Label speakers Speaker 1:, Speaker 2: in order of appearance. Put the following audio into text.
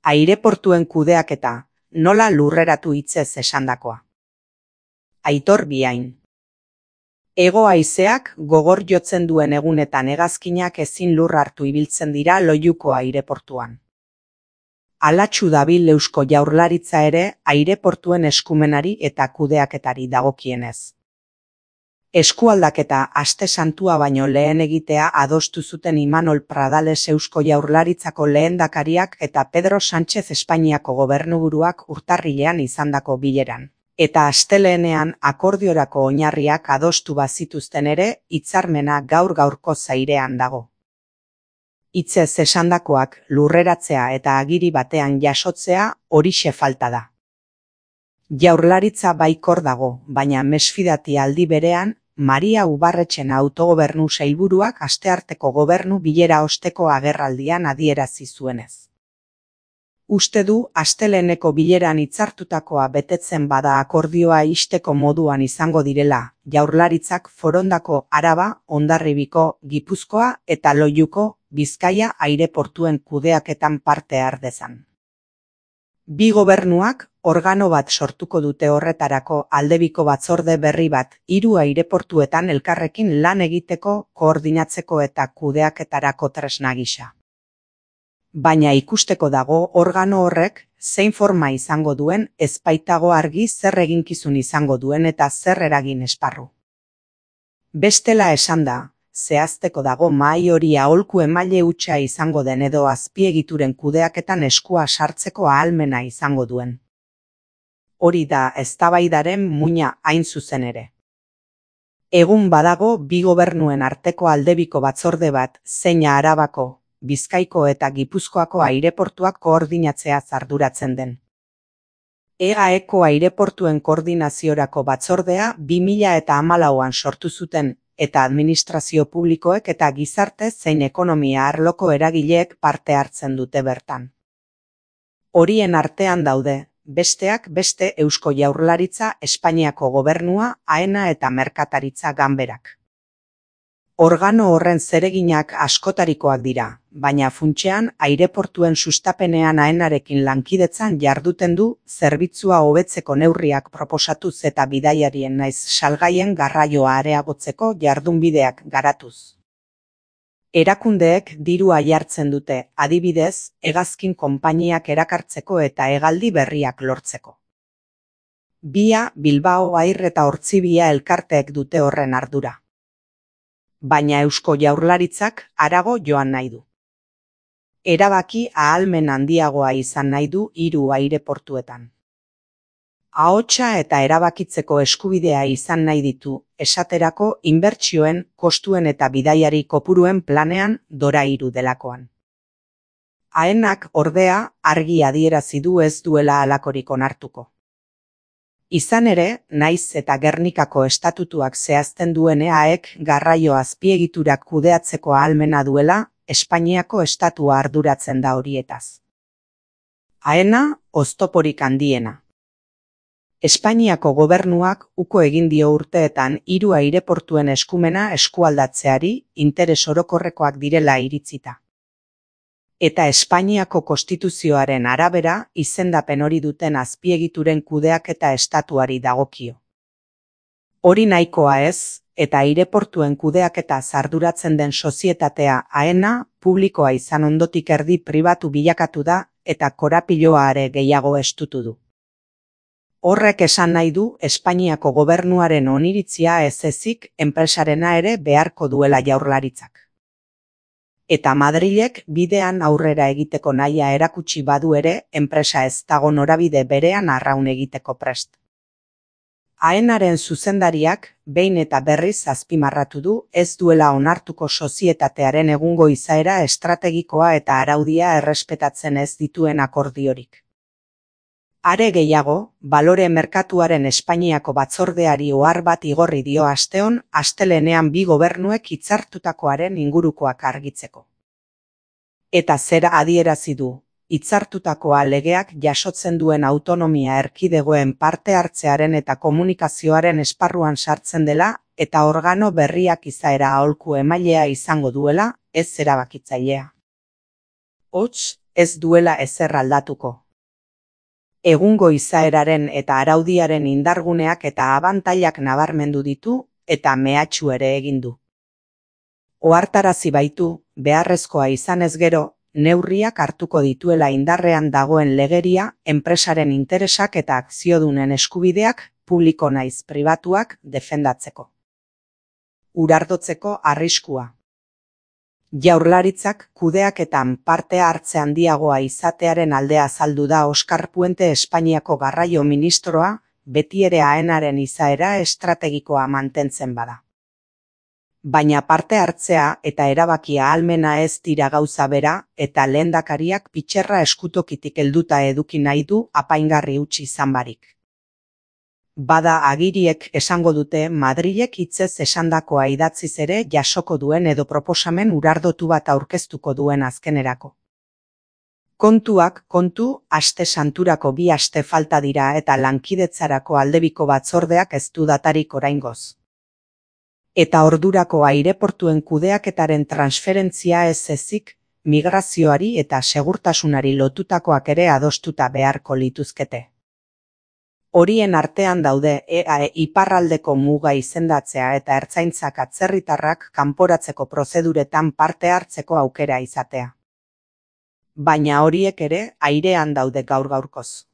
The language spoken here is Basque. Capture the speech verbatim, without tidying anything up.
Speaker 1: Aireportuen kudeaketa, nola lurreratu hitzez esandakoa. Aitor Biain. Hego haizeak gogor jotzen duen egunetan hegazkinak ezin lur hartu ibiltzen dira Loiuko aireportuan. Halatsu dabil Eusko Jaurlaritza ere aireportuen eskumenari eta kudeaketari dagokienez. Eskualdaketa aste santua baino lehen egitea adostu zuten Imanol Pradales Eusko Jaurlaritzako lehendakariak eta Pedro Sánchez Espainiako gobernuburuak urtarrilean izandako bileran. Eta astelehenean akordiorako oinarriak adostu bazituzten ere, hitzarmena gaur-gaurko zairean dago. Hitzez esandakoak lurreratzea eta agiri batean jasotzea horixe falta da. Jaurlaritza baikor dago, baina mesfidati aldi berean, Maria Ubarretxen autogobernu sailburuak astearteko gobernu bilera osteko agerraldian adierazi zuenez. Uste du asteleheneko bileran hitzartutakoa betetzen bada akordioa ixteko moduan izango direla, Jaurlaritzak Forondako, Araba, Hondarribiko, Gipuzkoa eta Loiuko, Bizkaia aireportuen kudeaketan parte har dezan. Bi gobernuak organo bat sortuko dute horretarako aldebiko batzorde berri bat hiru aireportuetan elkarrekin lan egiteko, koordinatzeko eta kudeaketarako tresna gisa. Baina ikusteko dago organo horrek zein forma izango duen, ez baitago argi zer eginkizun izango duen eta zer eragin esparru. Bestela esanda, zehazteko dago mahai hori aholku emaile hutsa izango den edo azpiegituren kudeaketan eskua sartzeko ahalmena izango duen. Hori da eztabaidaren muina hain zuzen ere. Egun badago bi gobernuen arteko aldebiko batzorde bat, zeina Arabako, Bizkaiko eta Gipuzkoako aireportuak koordinatzea arduratzen den. Eaeko aireportuen koordinaziorako batzordea bi mila hamalauan sortu zuten, eta administrazio publikoek eta gizarte zein ekonomia arloko eragileek parte hartzen dute bertan. Horien artean daude, besteak beste Eusko Jaurlaritza, Espainiako gobernua, AENA eta Merkataritza Ganberak. Organo horren zereginak askotarikoak dira, baina funtsean aireportuen sustapenean AENarekin lankidetzan jarduten du, zerbitzua hobetzeko neurriak proposatuz eta bidaiarien naiz salgaien garraioa areagotzeko jardunbideak garatuz. Erakundeek dirua jartzen dute, adibidez, hegazkin konpainiak erakartzeko eta hegaldi berriak lortzeko. Bia, Bilbao Air eta Ortzibia elkarteek dute horren ardura. Baina Eusko Jaurlaritzak harago joan nahi du. Erabaki ahalmen handiagoa izan nahi du hiru aireportuetan. Ahotsa eta erabakitzeko eskubidea izan nahi ditu, esaterako inbertsioen, kostuen eta bidaiari kopuruen planean Dora hiru delakoan. AENak ordea argi adierazi du ez duela halakorik onartuko. Izan ere, naiz eta Gernikako estatutuak zehazten duen eaek garraio azpiegiturak kudeatzeko ahalmena duela, Espainiako estatua arduratzen da horietaz. AENa, oztoporik handiena. Espainiako gobernuak uko egin dio urteetan hiru aireportuen eskumena eskualdatzeari interes orokorrekoak direla iritzita. Eta Espainiako konstituzioaren arabera izendapen hori duten azpiegituren kudeaketa estatuari dagokio. Hori nahikoa ez, eta aireportuen kudeaketa arduratzen den sozietatea AENa publikoa izan ondotik erdi pribatu bilakatu da eta korapiloa are gehiago estutu du. Horrek esan nahi du Espainiako gobernuaren oniritzia ez ezik enpresarena ere beharko duela Jaurlaritzak. Eta Madrilek bidean aurrera egiteko nahia erakutsi badu ere, enpresa ez dago norabide berean arraun egiteko prest. AENaren zuzendariak behin eta berriz azpimarratu du ez duela onartuko sozietatearen egungo izaera estrategikoa eta araudia errespetatzen ez dituen akordiorik. Are gehiago, balore merkatuaren Espainiako batzordeari ohar bat igorri dio asteon, astelehenean bi gobernuek hitzartutakoaren ingurukoak argitzeko. Eta zera adierazi du, hitzartutakoa legeak jasotzen duen autonomia erkidegoen parte hartzearen eta komunikazioaren esparruan sartzen dela, eta organo berriak izaera aholku emailea izango duela, ez erabakitzailea. Hots, ez duela ezer aldatuko. Egungo izaeraren eta araudiaren indarguneak eta abantailak nabarmendu ditu eta mehatxu ere egin du. Ohartarazi baitu, beharrezkoa izanez gero, neurriak hartuko dituela indarrean dagoen legeria, enpresaren interesak eta akziodunen eskubideak, publiko naiz pribatuak, defendatzeko. Urardotzeko arriskua. Jaurlaritzak kudeaketan parte hartze handiagoa izatearen aldea azaldu da Oskar Puente Espainiako garraio ministroa, beti ere AENaren izaera estrategikoa mantentzen bada. Baina parte hartzea eta erabakia ahalmena ez dira gauza bera eta lehendakariak pitxerra eskutokitik helduta eduki nahi du apaingarri utzi izan barik. Bada agiriek esango dute Madrilek hitzez esandakoa idatziz ere jasoko duen edo proposamen urardotu bat aurkeztuko duen azkenerako. Kontuak kontu, aste santurako bi aste falta dira eta lankidetzarako aldebiko batzordeak ez du datarik oraingoz. Eta ordurako aireportuen kudeaketaren transferentzia ez ezik, migrazioari eta segurtasunari lotutakoak ere adostuta beharko lituzkete. Horien artean daude E A E iparraldeko muga izendatzea eta ertzaintzak atzerritarrak kanporatzeko prozeduretan parte hartzeko aukera izatea. Baina horiek ere airean daude gaur gaurkoz.